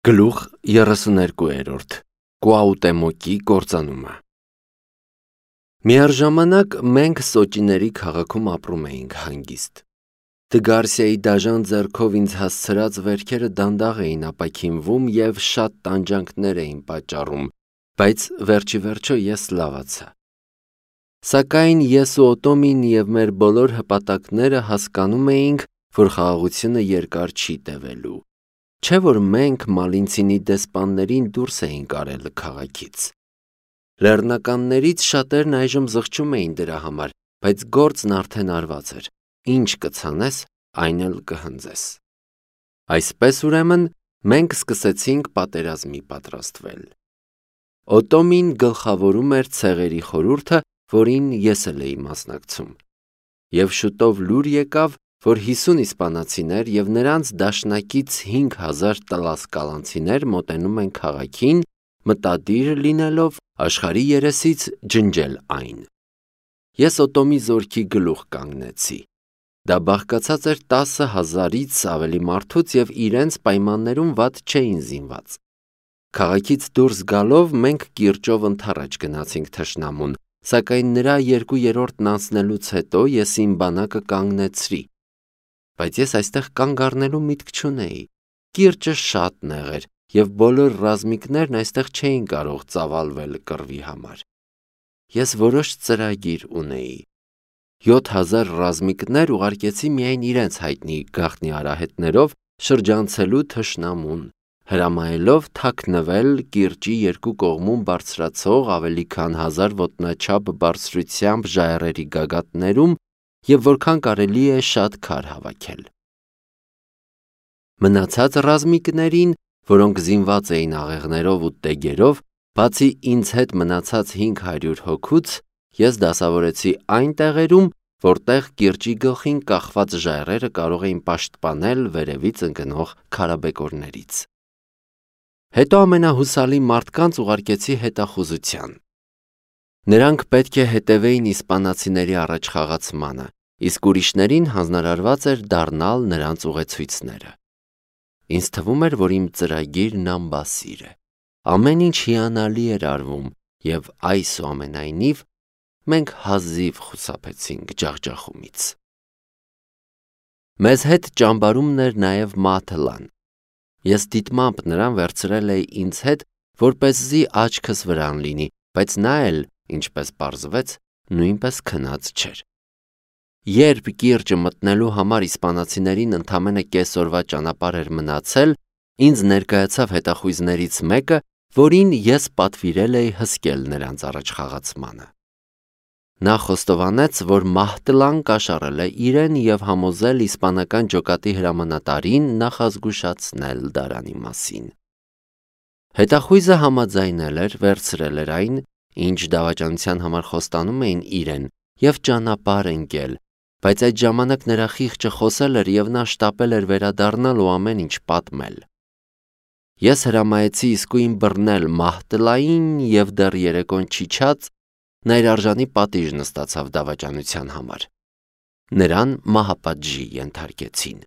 Գլուխ 32 Կուաուտեմոկի կործանումը Միառժամանակ մենք Սոճիների քաղաքում ապրում էինք հանգիստ։ Դգարսիայի դաժան ձեռքով ինձ հասցրած վերքերը դանդաղ էին ապաքինվում և շատ տանջանքներ էին պատճառում, բայց վերջիվերջո ես լավացա։ Սակայն ես ու Օտոմին և մեր բոլոր հպատակները հասկանում էինք, որ խաղաղությունը երկար չի տևելու։ Չէ՞ որ մենք Մալինցինի դեսպաններին դուրս էինք արել քաղաքից։ Լեռնականներից շատերն այժմ զղջում էին դրա համար, բայց գործն արդեն արված էր։ Ինչ կցանես, այն էլ կհնձես։ Այսպես ուրեմն մենք սկսեցինք պատերազմի պատրաստվել։ Օտոմին գլխավորում էր ցեղերի խորհուրդը, որին ես էլ էի մասնակցում։ Եվ շուտով լուր եկավ, որ 50 իսպանացիներ և նրանց դաշնակից 5000 տլասկալանցիներ մոտենում են քաղաքին, մտադիր լինելով աշխարհի երեսից ջնջել այն։ Ես Օտոմի զորքի գլուխ կանգնեցի։ Դա բաղկացած էր 10,000-ից ավելի մարդուց և իրենց պայմաններում վատ չէին զինված։ Քաղաքից դուրս գալով մենք կիրճով ընդառաջ գնացինք թշնամուն, սակայն նրա 2/3-ն անցնելուց հետո ես իմ բանակը կանգնեցրի։ Բայց ես այստեղ կանգ առնելու միտք չունեի։ Կիրճը շատ նեղ էր, և բոլոր ռազմիկներն այստեղ չէին կարող ծավալվել կռվի համար։ Ես որոշ ծրագիր ունեի։ 7000 ռազմիկներ ուղարկեցի միայն իրենց հայտնի գաղտնի արահետներով շրջանցելու թշնամուն, հրամայելով թաքնվել կիրճի երկու կողմում բարձրացող ավելի քան 1000 ոտնաչափ բարձրությամբ ժայռերի գագաթներում և որքան կարելի է շատ քար հավաքել։ Մնացած ռազմիկներին, որոնք զինված էին աղեղներով ու տեգերով, բացի ինձ հետ մնացած 500 հոգուց, ես դասավորեցի այն տեղերում, որտեղ կիրճի գլխին կախված ժայռերը կարող էին պաշտպանել վերևից ընկնող քարաբեկորներից։ Հետո ամենահուսալի մարդկանց ուղարկեցի հետախուզության։ Նրանք պետք է հետևեին իսպանացիների առաջխաղացմանը, իսկ ուրիշներին հանձնարարված էր դառնալ նրանց ուղեցույցները։ Ինձ թվում էր, որ իմ ծրագիրն անբասիր է։ Ամեն ինչ հիանալի էր արվում, և այսուամենայնիվ մենք հազիվ խուսափեցինք ջախջախումից։ Մեզ հետ ճամբարումն էր նաև Մաթլան։ Ես դիտմամբ նրան վերցրել էի ինձ հետ, որպեսզի աչքս վրան լինի, բայց նա էլ, ինչպես պարզվեց, նույնպես քնած չէր։ Երբ կիրճը մտնելու համար իսպանացիներին ընդամենը կեսօրվա ճանապարհ էր մնացել, ինձ ներկայացավ հետախույզներից մեկը, որին ես պատվիրել էի հսկել նրանց առաջխաղացմանը։ Նա խոստովանեց, որ Մահտլան կաշառել է իրեն և համոզել իսպանական ջոկատի հրամանատարին նախազգուշացնել դարանի մասին։ Հետախույզը համաձայնել էր, վերցրել էր այն, ինչ դավաճանության համար խոստանում էին իրեն, և ճանապարհ ընկել, բայց այդ ժամանակ նրա խիղճը խոսել էր և նա շտապել էր վերադառնալ ու ամեն ինչ պատմել։ Ես հրամայեցի իսկույն բռնել Մահտլային և դեռ երեկոն չիջած նա իր արժանի պատիժն ստացավ դավաճանության համար։ Նրան մահապատժի ենթարկեցին։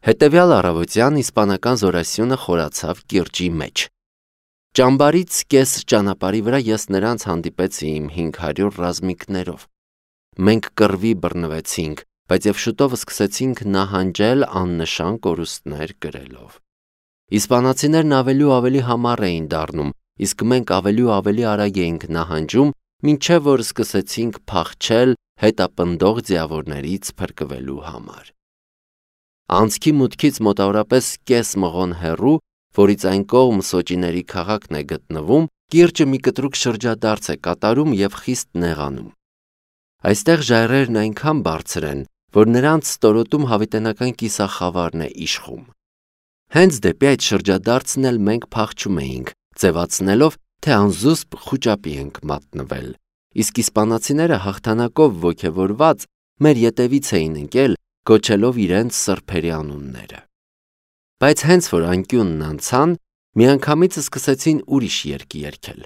Հետևյալ առավոտյան իսպանական զորասյունը խորացավ կիրճի մեջ։ Ճամբարից կես ճանապարհի վրա ես նրանց հանդիպեցի իմ 500 ռազմիկներով։ Մենք կռվի բռնվեցինք, բայց և շուտով սկսեցինք նահանջել աննշան կորուստներ կրելով։ Իսպանացիներն ավելի ու ավելի համառ էին դառնում, իսկ մենք ավելի ու ավելի արագ էինք նահանջում, մինչև որ սկսեցինք փախչել հետապնդող ձիավորներից փրկվելու համար։ Անցքի մուտքից մոտավորապես կես մղոն հեռու, որից այն կողմ Սոճիների քաղաքն է գտնվում, կիրճը մի կտրուկ շրջադարձ է կատարում և խիստ նեղանում։ Այստեղ ժայռերն այնքան բարձր են, որ նրանց ստորոտում հավիտենական կիսախավարն է իշխում։ Հենց դեպի այդ շրջադարձն էլ մենք փախչում էինք, ձևացնելով, թե անզուսպ խուճապի ենք մատնվել, իսկ իսպանացիները հաղթանակով ոգևորված մեր ետևից էին ընկել, կոչելով իրենց սրբերի անունները։ Բայց հենց որ անկյունն անցան, միանգամից սկսեցին ուրիշ երգ երգել։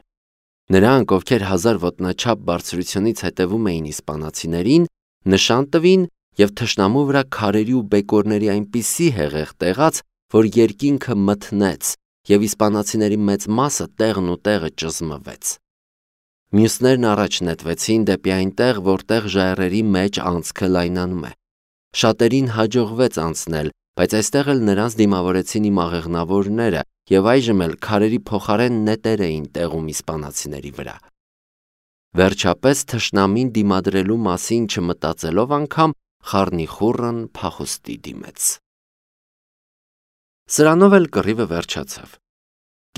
Նրանք, ովքեր 1000 ոտնաչափ բարձրությունից հետևում էին իսպանացիներին, նշան տվին և թշնամու վրա քարերի ու բեկորների այնպիսի հեղեղ տեղաց, որ երկինքը մթնեց, և իսպանացիների մեծ մասը տեղն ու տեղը ճզմվեց։ Մյուսներն առաջ նետվեցին դեպի այնտեղ, որտեղ ժայռերի մեջ անցքը լայնանում է։ Շատերին հաջողվեց անցնել, բայց այստեղ էլ նրանց դիմավորեցին իմ աղեղնավորները, և այժմ էլ քարերի փոխարեն նետեր էին տեղում իսպանացիների վրա։ Վերջապես թշնամին դիմադրելու մասին չմտածելով անգամ խառնիխուռն փախուստի դիմեց։ Սրանով էլ կռիվը վերջացավ։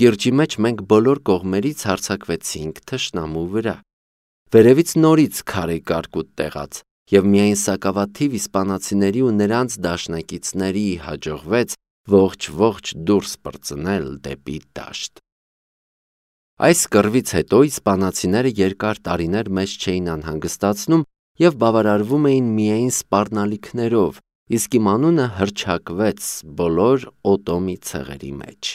Կիրճի մեջ մենք բոլոր կողմերից հարձակվեցինք թշնամու վրա։ Վերևից նորից քարե կարկուտ տեղաց, և միայն սակավաթիվ իսպանացիների ու նրանց դաշնակիցների հաջողվեց ողջ դուրս պրծնել դեպի դաշտ։ Այս կռվից հետո իսպանացիները երկար տարիներ մեզ չէին անհանգստացնում և բավարարվում էին միայն սպառնալիքներով, իսկ իմ անունը հռչակվեց բոլոր Օտոմի ցեղերի մեջ։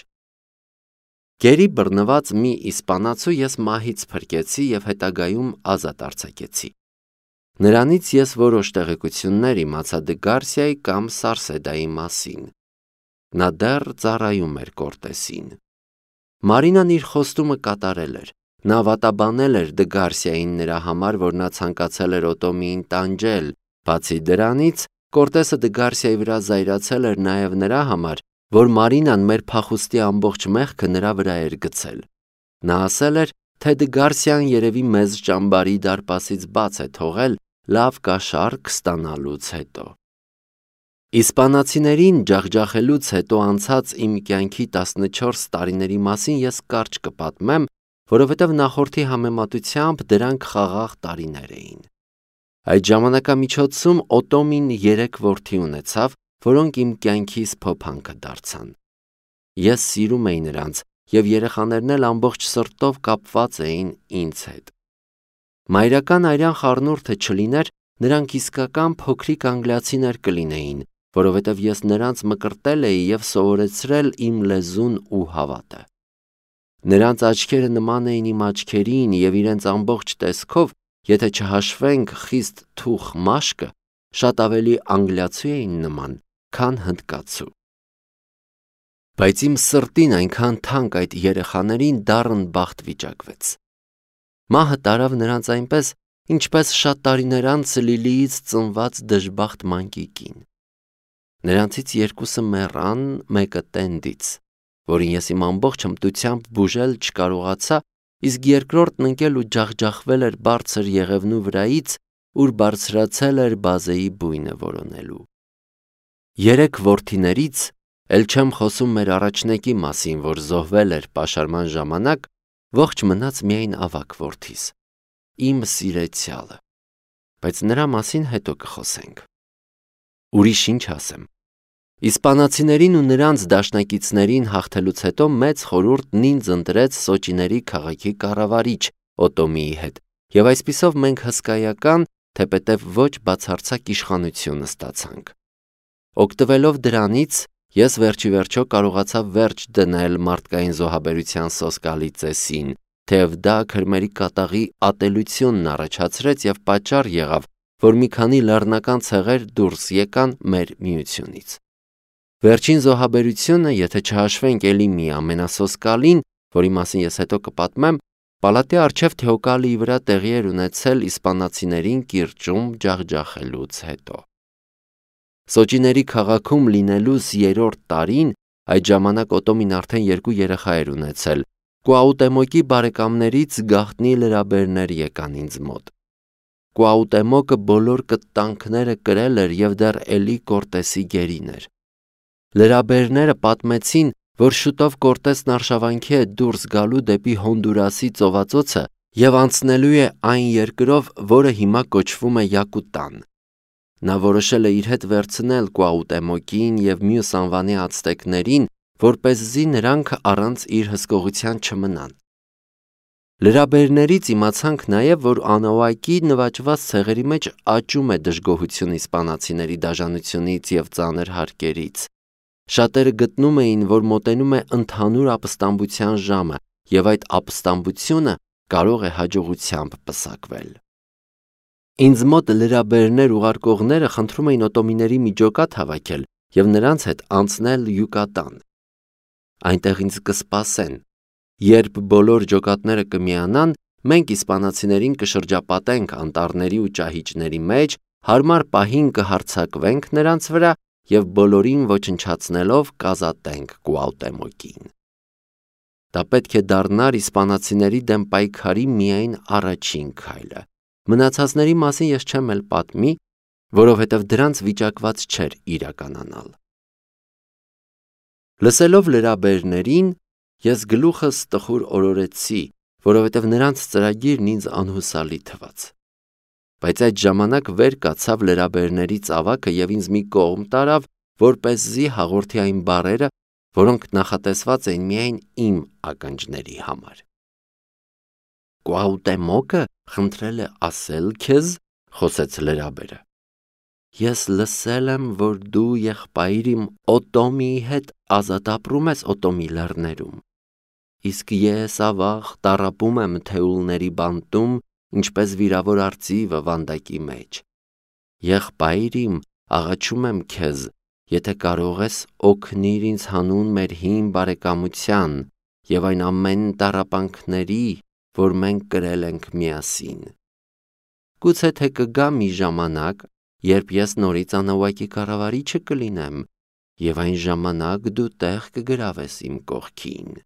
Գերի բռնված մի իսպանացու ես մահից փրկեցի և հետագայում ազատ արձակեցի։ Նրանից ես որոշ տեղեկություններ իմացա Դգարսիայի կամ Սարսեդայի մասին։ Նա դեռ ծառայում էր Կորտեսին։ Մարինան իր խոստումը կատարել էր։ Նա վատաբանել էր Դգարսիային նրա համար, որ նա ցանկացել էր Օտոմիին տանջել։ Բացի դրանից, Կորտեսը Դգարսիայի վրա զայրացել էր նաև նրա համար, որ Մարինան մեր փախուստի ամբողջ մեղքը նրա վրա էր գցել։ Նա ասել էր, թե Դգարսիան երևի մեզ ճամբարի դարպասից բաց է թողել լավ կաշառք ստանալուց հետո։ Իսպանացիներին ջախջախելուց հետո անցած իմ կյանքի 14 տարիների մասին ես կարճ կպատմեմ, որովհետև նախորդի համեմատությամբ դրանք խաղաղ տարիներ էին։ Այդ ժամանակամիջոցում Օտոմին 3 որդի ունեցավ, որոնք իմ կյանքիս փոփանքը դարձան։ Ես սիրում էի նրանց, և երեխաներն էլ ամբողջ սրտով կապված էին ինձ հետ։ Մայրական արյան խառնուրդը չլիներ, նրանք իսկական փոքրիկ անգլիացիներ կլինեին, որովհետև ես նրանց մկրտել էի և սովորեցրել իմ լեզուն ու հավատը։ Նրանց աչքերը նման էին իմ աչքերին և իրենց ամբողջ տեսքով, եթե չհաշվենք խիստ թուխ մաշկը, շատ ավելի անգլիացու էին նման, քան հնդկացու։ Բայց իմ սրտին այնքան թանկ այդ երեխաներին դառն բախտ վիճակվեց։ Մահը տարավ նրանց այնպես, ինչպես շատ տարիներ անց Լիլիից ծնված դժբախտ մանկիկին։ Նրանցից երկուսը մեռան, մեկը տենդից, որին ես իմ ամբողջ հմտությամբ բուժել չկարողացա, իսկ երկրորդն ընկել ու ջախջախվել էր բարձր եղևնու վրայից, ուր բարձրացել էր բազեի բույնը որոնելու։ 3 որդիներից, էլ չեմ խոսում մեր առաջնեկի մասին, որ զոհվել էր պաշարման ժամանակ, ողջ մնաց միայն ավագ որդիս, իմ սիրեցյալը, բայց նրա մասին հետո կխոսենք։ Ուրիշ ինչ ասեմ։ Իսպանացիներին ու նրանց դաշնակիցներին հաղթելուց հետո մեծ խորհուրդն ինձ ընտրեց Սոճիների քաղաքի կառավարիչ Օտոմիի հետ, և այսպիսով մենք հսկայական, թեպետև ոչ բացարձակ իշխանություն ստացանք։ Օգտվելով դրանից, ես վերջիվերջո կարողացա վերջ դնել մարդկային զոհաբերության սոսկալի ծեսին, թեև դա քրմերի կատաղի ատելությունն առաջացրեց և պատճառ եղավ, որ մի քանի լեռնական ցեղեր դուրս եկան մեր միությունից։ Վերջին զոհաբերությունը, եթե չհաշվենք էլի մի ամենասոսկալին, որի մասին ես հետո կպատմեմ, պալատի առջև Թեոկալիի վրա տեղի էր ունեցել իսպանացիներին կիրճում ջախջախելուց հետո։ Սոճիների քաղաքում լինելուս 3-րդ տարին, այդ ժամանակ Օտոմին արդեն 2 երեխա էր ունեցել, Կուաուտեմոկի բարեկամներից գաղտնի լրաբերներ եկան ինձ մոտ։ Կուաուտեմոկը բոլոր կտանքները կրել էր և դեռ էլի Կորտեսի գերին էր։ Լրաբերները պատմեցին, որ շուտով Կորտեսն արշավանքի է դուրս գալու դեպի Հոնդուրասի ծովածոցը և անցնելու է այն երկրով, որը հիմա կոչվում է Յակուտան։ Նա որոշել է իր հետ վերցնել Կուաուտեմոկին և մյուս անվանի ացտեկներին, որպեսզի նրանք առանց իր հսկողության չմնան։ Լրաբերներից իմացանք նաև, որ Անաուակի նվաճված ցեղերի մեջ աճում է դժգոհություն իսպանացիների դաժանությունից և ծանր հարկերից։ Շատերը գտնում էին, որ մոտենում է ընդհանուր ապստամբության ժամը, և այդ ապստամբությունը կարող է հաջողությամբ պսակվել։ Ինձ մոտ լրաբերներ ուղարկողները խնդրում էին օտոմիների մի ջոկատ հավաքել և նրանց հետ անցնել Յուկատան։ Այնտեղ ինձ կսպասեն։ Երբ բոլոր ջոկատները կմիանան, մենք իսպանացիներին կշրջապատենք անտառների ու ճահիճների մեջ, հարմար պահին կհարձակվենք նրանց վրա և բոլորին ոչնչացնելով կազատենք Կուաուտեմոկին։ Դա պետք է դառնար իսպանացիների դեմ պայքարի միայն առաջին քայլը։ Մնացածների մասին ես չեմ էլ պատմի, որովհետև դրանց վիճակված չէր իրականանալ։ Լսելով լրաբերներին, ես գլուխս տխուր օրորեցի, որովհետև նրանց ծրագիրն ինձ անհուսալի թվաց։ Բայց այդ ժամանակ վեր կացավ լրաբերների ծավակը և ինձ մի կողմ տարավ, որպեսզի հաղորդի այն բառերը, որոնք նախատեսված էին միայն իմ ականջների համար։ Կուաուտեմոկը խնդրել է ասել քեզ, խոսեց լրաբերը։ Ես լսել եմ, որ դու եղբայր իմ Օտոմիի հետ ազատ ապրում ես Օտոմի լեռներում, իսկ ես ավաղ տառապում եմ թեուլների բանտում, ինչպես վիրավոր արծիվը վանդակի մեջ։ Եղբայր իմ, աղաչում եմ քեզ, եթե կարող ես, օգնիր ինձ հանուն մեր հին բարեկամության և այն ամեն տառապանքների, որ մենք կրել ենք միասին։ Գուցե թե կգա մի ժամանակ, երբ ես նորից անավակի կառավարիչը կլինեմ, և այն ժամանակ դու տեղ կգրավես իմ կողքին։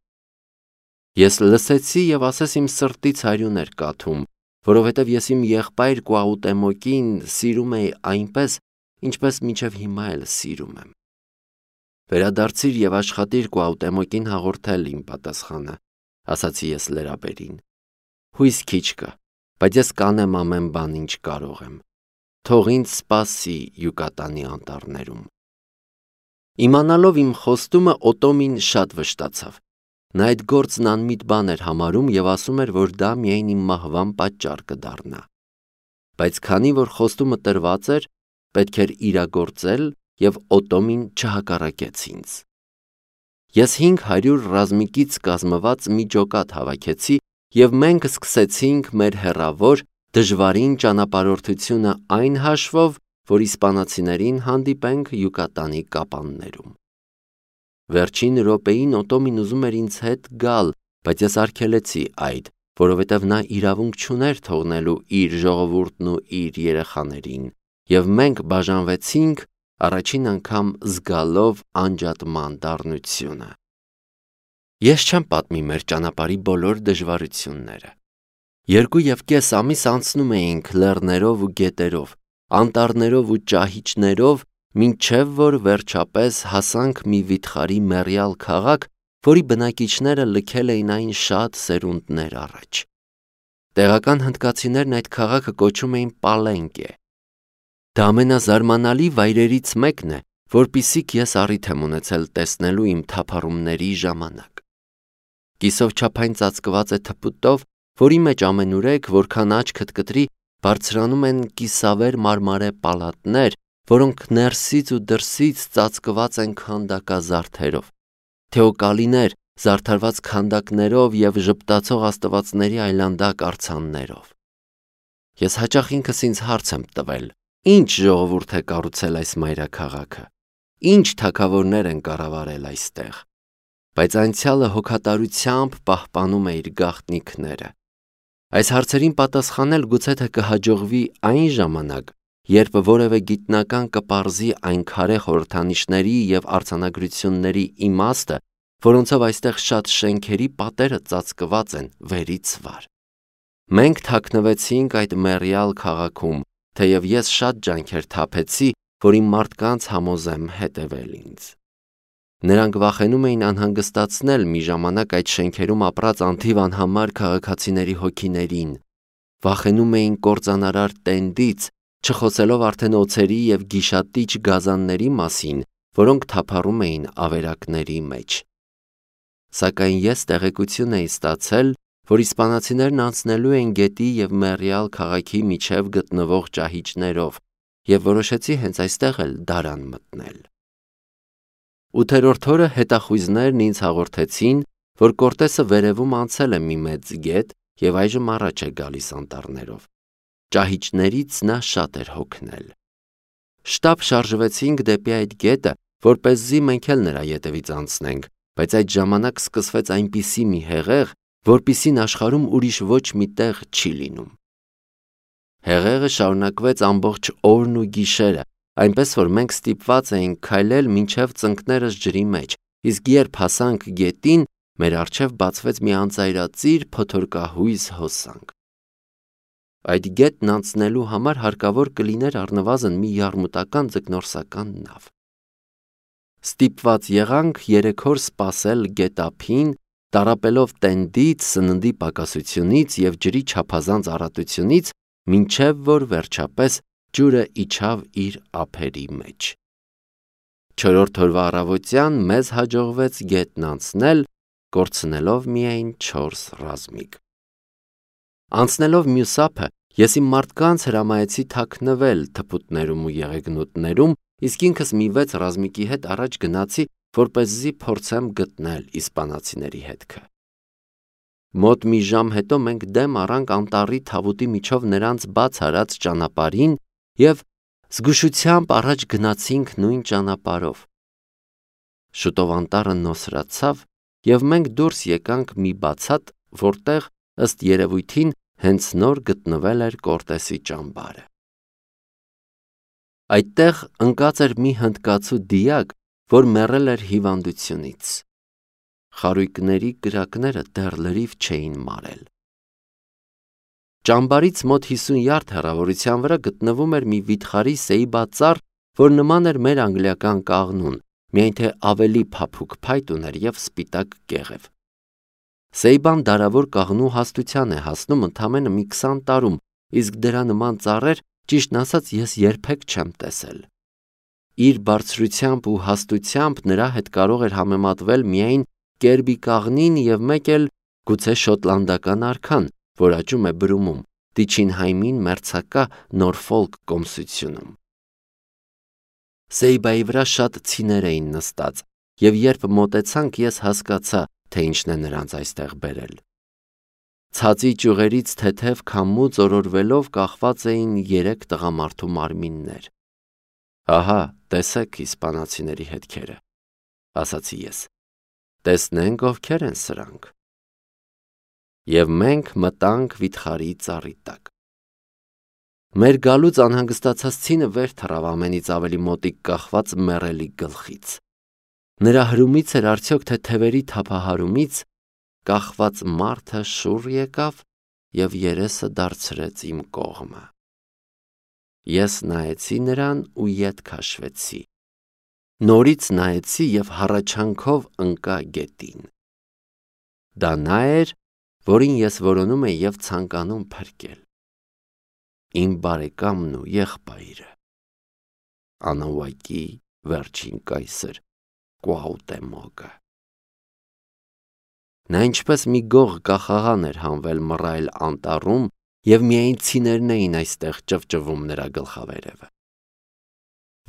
Ես լսեցի և ասես իմ սրտից արյուն էր կաթում, որովհետև ես իմ եղբայր Կուաուտեմոկին սիրում էի այնպես, ինչպես մինչև հիմա էլ սիրում եմ։ Վերադարձիր և աշխատիր Կուաուտեմոկին հաղորդել իմ պատասխանը, ասացի ես լրաբերին։ Հույս քիչ կա, բայց ես կանեմ ամեն բան, ինչ կարող եմ։ Թող ինձ սպասի Յուկատանի անտառներում։ Իմանալով իմ խոստումը, Օտոմին շատ վշտացավ։ Նա այդ գործն անմիտ բան էր համարում և ասում էր, որ դա միայն իմ մահվան պատճառ կդառնա։ Բայց քանի որ խոստումը տրված էր, պետք էր իրագործել և Օտոմին չհակառակեց ինձ։ Ես 500 ռազմիկից կազմված մի ջոկատ հավաքեցի և մենք սկսեցինք մեր հեռավոր, դժվարին ճանապարհորդությունը այն հաշվով, որ իսպանացիներին հանդիպենք Յուկատանի կապաններում։ Վերջին րոպեին Օտոմին ուզում էր ինձ հետ գալ, բայց ես արգելեցի այդ, որովհետև նա իրավունք չուներ թողնելու իր ժողովուրդն ու իր երեխաներին, և մենք բաժանվեցինք, առաջին անգամ զգալով անջատման դառնությունը։ Ես չեմ պատմի մեր ճանապարհի բոլոր դժվարությունները։ 2.5 ամիս անցնում էինք լեռներով ու գետերով, անտառներով ու ճահիճներով, մինչև որ վերջապես հասանք մի վիթխարի մեռյալ քաղաք, որի բնակիչները լքել էին այն շատ սերունդներ առաջ։ Տեղական հնդկացիներն այդ քաղաքը կոչում էին Պալենկե։ Դա ամենազարմանալի վայրերից մեկն է, որպիսիք ես առիթ եմ ունեցել տեսնելու իմ թափառումների ժամանակ։ Կիսով չափային ծածկված է թփուտով, որի մեջ ամենուրեք, որքան աչքդ կտրի, բարձրանում են կիսավեր մարմարե պալատներ, որոնք ներսից ու դրսից ծածկված են քանդակազարդերով, թեոկալիներ, զարդարված քանդակներով և ժպտացող աստվածների այլանդակ արձաններով։ Ես հաճախ ինքս ինձ հարց եմ տվել. ինչ ժողովուրդ է կառուցել այս մայրաքաղաքը, ինչ թագավորներ են կառավարել այստեղ, բայց անցյալը հոգատարությամբ պահպանում է իր գաղտնիքները։ Այս հարցերին պատասխանել գուցե թե կհաջողվի այն ժամանակ, երբ որևէ գիտնական կպարզի այն քարե խորհրդանիշների և արձանագրությունների իմաստը, որոնցով այստեղ շատ շենքերի պատերը ծածկված են վերից վար։ Մենք թաքնվեցինք այդ մեռյալ քաղաքում, թեև ես շատ ջանքեր թափեցի, որ իմ մարդկանց համոզեմ հետևել ինձ։ Նրանք վախենում էին անհանգստացնել մի ժամանակ այդ շենքերում ապրած անթիվ անհամար քաղաքացիների հոգիներին, վախենում էին կործանարար տենդից, չխոսելով արդեն օձերի և գիշատիչ գազանների մասին, որոնք թափառում էին ավերակների մեջ։ Սակայն ես տեղեկություն էի ստացել, որ իսպանացիներն անցնելու են գետի և մեռյալ քաղաքի միջև գտնվող ճահիճներով, և որոշեցի հենց այստեղ էլ դարան մտնել։ 8-րդ օրը հետախույզներն ինձ հաղորդեցին, որ Կորտեսը վերևում անցել է մի մեծ գետ և այժմ առաջ է գալիս անտառներով։ Ճահիճներից նա շատ էր հոգնել։ Շտապ շարժվեցինք դեպի այդ գետը որպեսզի մենք էլ նրա ետևից անցնենք, բայց այդ ժամանակ սկսվեց այնպիսի մի հեղեղ, որպիսին աշխարհում ուրիշ ոչ մի տեղ չի լինում։ Հեղեղը շարունակվեց ամբողջ օրն ու գիշերը, այնպես որ մենք ստիպված էինք քայլել մինչև ծնկներս ջրի մեջ, իսկ երբ հասանք գետին, մեր առջև բացվեց մի անծայրածիր փոթորկահույզ հոսանք։ Այդ գետն անցնելու համար հարկավոր կլիներ առնվազն մի յարմուտական ձկնորսական նավ։ Ստիպված եղանք 3 օր սպասել գետափին, տառապելով տենդից, սննդի պակասությունից և ջրի չափազանց առատությունից, մինչև որ վերջապես ջուրը իջավ իր ափերի մեջ։ 4-րդ օրվա առավոտյան մեզ հաջողվեց գետն անցնել, կորցնելով միայն 4 ռազմիկ։ Անցնելով մյուս ափը, ես իմ մարդկանց հրամայեցի թաքնվել թփուտներում ու եղեգնուտներում, իսկ ինքս մի 6 ռազմիկի հետ առաջ գնացի, որպեսզի փորձեմ գտնել իսպանացիների հետքը։ Մոտ մի ժամ հետո մենք դեմ առանք անտառի թավուտի միջով նրանց բաց արած ճանապարհին և զգուշությամբ առաջ գնացինք նույն ճանապարհով։ Շուտով անտառը նոսրացավ և մենք դուրս եկանք մի բացատ, որտեղ ըստ երևույթին հենց նոր գտնվել էր Կորտեսի ճամբարը։ Այդտեղ ընկած էր մի հնդկացու դիակ, որ մեռել էր հիվանդությունից։ Խարույկների կրակները դեռ լրիվ չէին մարել։ Ճամբարից մոտ 50 յարդ հեռավորության վրա գտնվում էր մի վիթխարի սեիբածառ, որ նման էր մեր անգլիական կաղնուն, միայն թե ավելի փափուկ փայտ ուներ և սպիտակ կեղև։ Սեիբան դարավոր կաղնու հաստության է հասնում ընդամենը մի 20 տարում, իսկ դրա նման ծառեր, ճիշտն ասած, ես երբեք չեմ տեսել։ Իր բարձրությամբ ու հաստությամբ նրա հետ կարող էր համեմատվել միայն կերբի կաղնին և մեկ էլ գուցե շոտլանդական արքան, որ աճում է Բրումում, Տիչինհայմին մերձակա Նորֆոլք կոմսությունում։ Սեիբայի վրա շատ ցիներ էին նստած, և երբ մոտեցանք, ես հասկացա, թե ինչն է նրանց այստեղ բերել։ Ցածի ճյուղերից թեթև քամու ծորորվելով կախված էին 3 տղամարդու մարմիններ։ «Ահա, տեսեք իսպանացիների հետքերը», ասացի ես։ «Տեսնենք ովքեր են սրանք»։ Եվ մենք մտանք վիթխարի ծառի տակ։ Մեր գալուց անհանգստացած ցինը վեր թռավ ամենից ավելի մոտիկ կախված մեռելի գլխից։ Նրա հրումից էր արդյոք թե թևերի թափահարումից, կախված մարդը շուռ եկավ և երեսը դարձրեց իմ կողմը։ Ես նայեցի նրան ու ետ քաշվեցի։ Նորից նայեցի և հառաչանքով ընկա գետին։ Դա նա էր, որին ես որոնում էի և ցանկանում փրկել։ Իմ բարեկամն ու եղբայրը, Անաուակի վերջին կայսր Կուաուտեմոկը։ Նա ինչպես մի գող կախաղան էր հանվել մռայլ անտառում և միայն ցիներն էին այստեղ ճվճվում նրա գլխավերևը։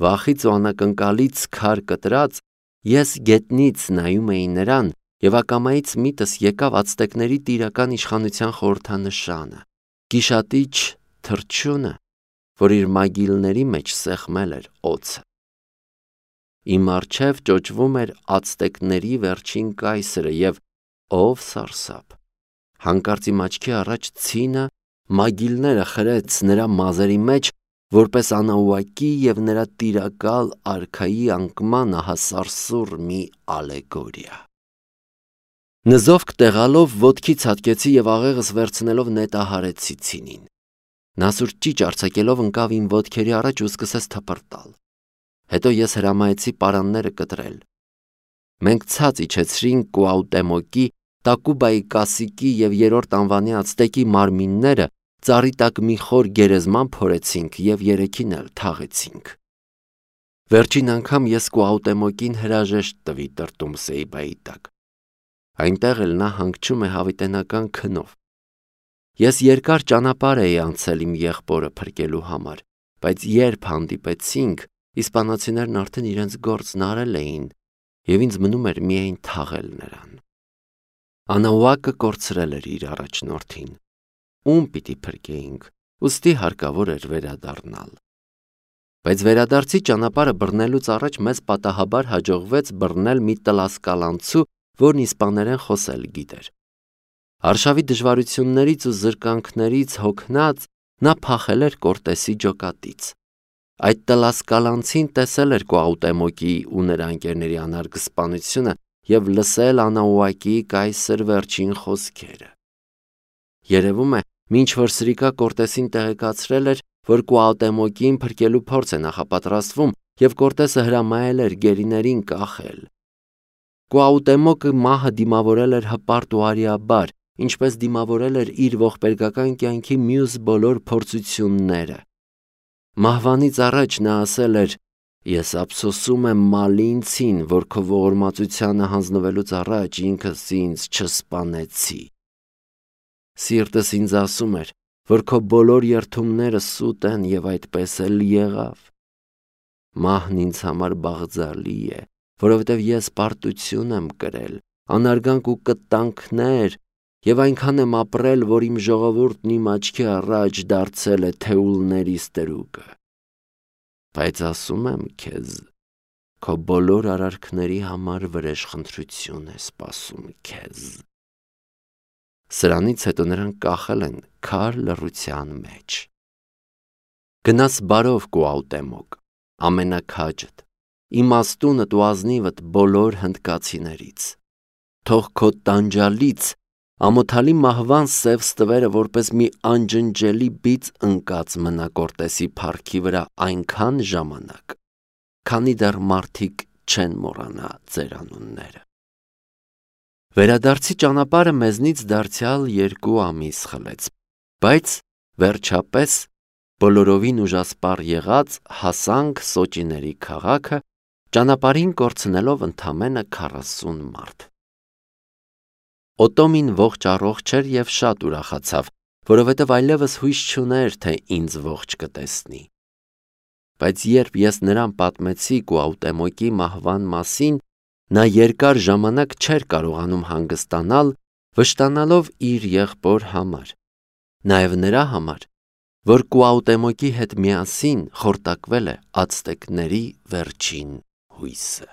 Վախից ու անակնկալից քար կտրած, ես գետնից նայում էի նրան և ակամայից միտս եկավ ացտեկների տիրական իշխանության խորհրդանշանը, գիշատիչ թռչյունը, որ իր մագիլների մեջ սեղմել էր օձը։ Իմ առջև ճոճվում էր ացտեկների վերջին կայսրը և ով սարսափ, հանկարծ իմ աչքի առաջ ցինը մագիլները խրեց նրա մազերի մեջ, որպես Անաուակի և նրա տիրակալ արքայի անկման ահասարսուռ մի ալեգորիա։ Նզովք տեղալով ոտքի ցատկեցի և աղեղս վերցնելով նետահարեցի ցինին։ Նա սուր ճիչ արձակելով ընկավ իմ ոտքերի առաջ ու սկսեց թպրտալ։ Հետո ես հրամայեցի պարանները կտրել։ Մենք ցած իջեցրինք Կուաուտեմոկի, Տակուբայի կասիկի և 3-րդ անվանի ացտեկի մարմինները, ծառի տակ մի խոր գերեզման փորեցինք և 3-ին էլ թաղեցինք։ Վերջին անգամ ես Կուաուտեմոկին հրաժեշտ տվի տրտում Սեիբայի տակ։ Այնտեղ էլ նա հանգչում է հավիտենական քնով։ Ես երկար ճանապարհ էի անցել իմ եղբորը փրկելու համար, բայց երբ հանդիպեցինք, իսպանացիներն արդեն իրենց գործն արել էին, և ինձ մնում էր միայն թաղել նրան։ Անաուակը կորցրել էր իր առաջնորդին, ում պիտի փրկեինք, ուստի հարկավոր էր վերադառնալ։ Բայց վերադարձի ճանապարհը բռնելուց առաջ մեզ պատահաբար հաջողվեց բռնել մի տլասկալանցու, որն իսպաներեն խոսել գիտեր։ Արշավի դժվարություններից ու զրկանքներից հոգնած նա փախել էր Կորտեսի ջոկատից։ Այդ տլասկալանցին տեսել էր Կուաուտեմոկի ու նրա ընկերների անարգ սպանությունը և լսել Անաուակիի կայսր վերջին խոսքերը։ Երևում է, մինչ որ Սրիկա Կորտեսին տեղեկացրել էր, որ Կուաուտեմոկին փրկելու փորձ է նախապատրաստվում և Կորտեսը հրամայել էր գերիներին կախել։ Կուաուտեմոկը մահը դիմավորել էր հպարտ ու արիաբար, ինչպես դիմավորել էր իր ողբերգական կյանքի մյուս բոլոր փորձությունները։ Մահվանից առաջ նա ասել էր. «Ես ափսոսում եմ Մալինցին, որ քո ողորմածությանը հանձնվելուց առաջ ինքս ինձ չսպանեցի։ Սիրտս ինձ ասում էր, որ քո բոլոր երդումները սուտ են և այդպես էլ եղավ։ Մահն ինձ համար բաղձալի է, որովհետև ես պարտություն եմ կրել, անարգանք ու կտանքներ և այնքան եմ ապրել, որ իմ ժողովուրդն իմ աչքի առաջ դարձել է թեուլների ստրուկը։ Բայց ասում եմ քեզ, քո բոլոր արարքների համար վրեժխնդրություն է սպասում քեզ»։ Սրանից հետո նրան կախել են քար լռության մեջ։ Գնաս բարով Կուաուտեմոկ, ամենաքաջդ, իմաստունդ ու ազնիվդ բոլոր հնդկացիներից։ Թող քո տանջալից ամոթալի մահվան սև ստվերը որպես մի անջնջելի բիծ ընկած մնա Կորտեսի փառքի վրա այնքան ժամանակ, քանի դեռ մարդիկ չեն մոռանա ձեր անունները։ Վերադարձի ճանապարհը մեզնից դարձյալ 2 ամիս խլեց, բայց վերջապես բոլորովին ուժասպառ եղած հասանք Սոճիների քաղաքը, ճանապարհին կորցնելով ընդամենը 40 մարդ։ Օտոմին ողջ առողջ էր և շատ ուրախացավ, որովհետև այլևս հույս չուներ, թե ինձ ողջ կտեսնի։ Բայց երբ ես նրան պատմեցի Կուաուտեմոկի մահվան մասին, նա երկար ժամանակ չէր կարողանում հանգստանալ, վշտանալով իր եղբոր համար, նաև նրա համար, որ Կուաուտեմոկի հետ միասին խորտակվել է ացտեկների վերջին հույսը։